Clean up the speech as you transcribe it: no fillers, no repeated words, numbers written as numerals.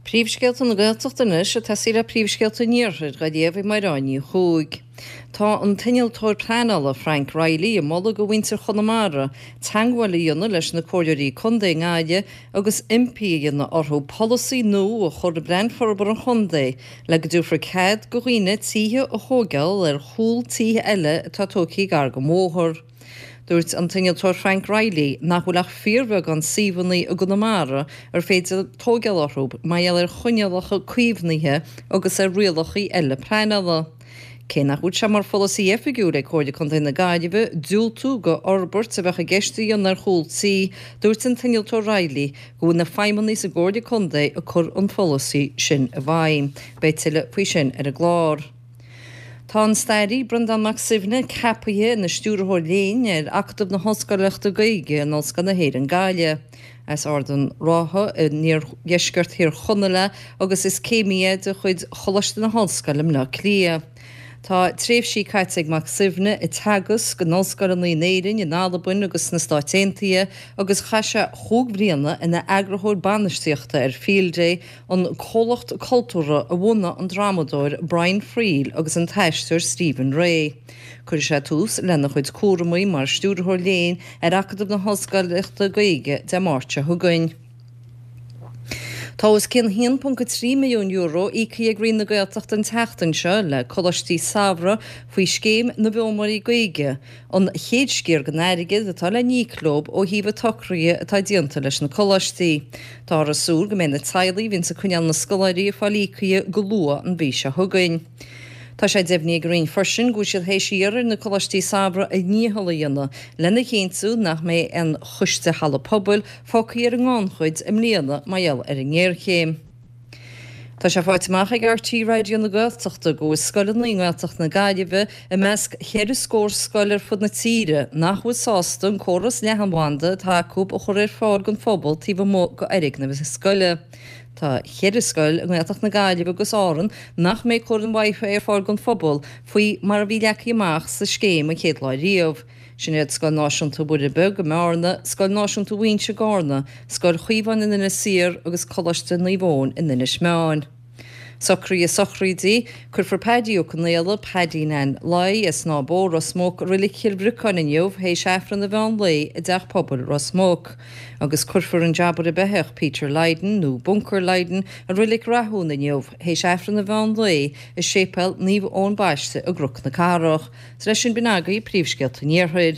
Príomhscéalta na Gaeltachta anois ag tosaí le príomhscéalta an Iarthair dhá léamh ag Mairéad Ní Chuaig. Tá an t-innealtóir pleanála Frank Reilly ag moladh do mhuintir Chonamara teagmháil a dhéanamh leis na comhairleoirí contae i nGaillimh agus impí a dhéanamh orthu polasaí nua a chur i bplean forbartha an chontae le go dtabharfar cead do dhaoine tithe a thóigeáil ar chúl tithe eile atá tógtha gar don bhóthar. Dúirt an t-innealtóir Frank Reilly nach bhfuil ach fíorbheagán suíomhanna i gConamara ar féidir tóigeáil orthu mar gheall ar choinníollacha caomhnaithe agus ar rialacha eile pleanála. Cé nach bhfuil sé mar pholasaí oifigiúil ag Comhairle Contae na Gaillimhe diúltú do fhorbairt a bheadh i gceist a dhéanamh ar chúl tí, dúirt an t-innealtóir Reilly go bhfuil na feidhmeannaigh sa gComhairle Contae ag cur an pholasaí sin i bhfeidhm. Beidh tuilleadh faoi sin ar an gclár. Tá an staraí Breandán Mac Suibhne ceapaithe ina Stiúrthóir Léinn ar Acadamh na hOllscoileachta Gaeilge in Ollscoil na hÉireann Gaillimh. As Ard an Rátha in iardheisceart Thír Chonaill é agus is céimí é de chuid Choláiste na hOllscoile i mBleá Cliath. Tá tréimhsí caite ag Mac Suibhne ag teagasc in ollscoileanna in Éirinn, in Albain agus sna Stáit Aontaithe agus chaith sé chúig bhliana ina eagarthóir bainistíochta ar Field Day, an comhlacht cultúrtha a bhunaigh an drámadóir Brian Friel agus an t-aisteoir Stephen Rea. Cuirfidh sé tús lena chuid cúramaí mar Stiúrthóir Léinn ar Acadamh na hOllscoileachta Gaeilge Dé Máirt seo chugainn. Tá os cionn €1.3 milliún íoctha ag Roinn na Gaeltachta an tseachtain seo le coláistí samhraidh faoi Scéim na bhFoghlaimeoirí Gaeilge, an chéad sciar den airgead atá le n-íoc leo ó thaobh an tsocraithe atá déanta leis na coláistí. Táthar ag súil go mbeidh na teaghlaigh a bhíonns ag coinneáil na scoláirí ag fáil íocaithe go luath an mhí seo chugainn. Tá sé deimhnithe ag an Roinn freisin go bhfuil siad théis iarraidh ar na coláistí samhraidh a ndícheall a dhéanamh lena chinntiú nach mbeidh aon choiste halla pobail fágtha ar an ngannchuid i mbliana mar gheall ar an ngéarchéim. Tá sé faighte amach ag RTÉ Raidió na Gaeltachta go bhfuil scoileanna i nGaeltacht na Gaillimhe i measc cheithre scór scoil ar fud na tíre nach bhfuil sásta an córas leathanbhanda atá acu a chur ar fáil don phobal taobh amuigh d'fhoirgneamh na scoile. Tá cheithre scoil i nGaeltacht na Gaillimhe agus Árann nach mbeidh ag cur an Wi-Fi ar fáil don phobal faoi mar a bhí leagtha amach sa scéim an chéad lá riamh. Sin iad Scoil Náisiúnta Mhuire Beag i mBearna, Scoil Náisiúnta Mhuighinse i gCarna, Scoil Chaomháin in Inis Oírr agus Coláiste Naomh Eoin in Inis Meáin. Socruithe sochraide, Cuirfear Paddy Ó Conaola, Paddy Nan Lai, as Snáth Bó, Ros Muc, i Reilig Chill Bhriocáin inniu théis Aifreann an mheán lae i dTeach Pobail Ros Muc. Agus cuirfear an jabaire beithíoch Peter Lydon, nó Bunker Lydon, i Reilig Rathún inniu théis Aifreann an mheán lae i Séipéal Naomh Eoin Baiste i gCnoc na Cathrach. Leis sin b'in agaibh príomhscéalta an Iarthair.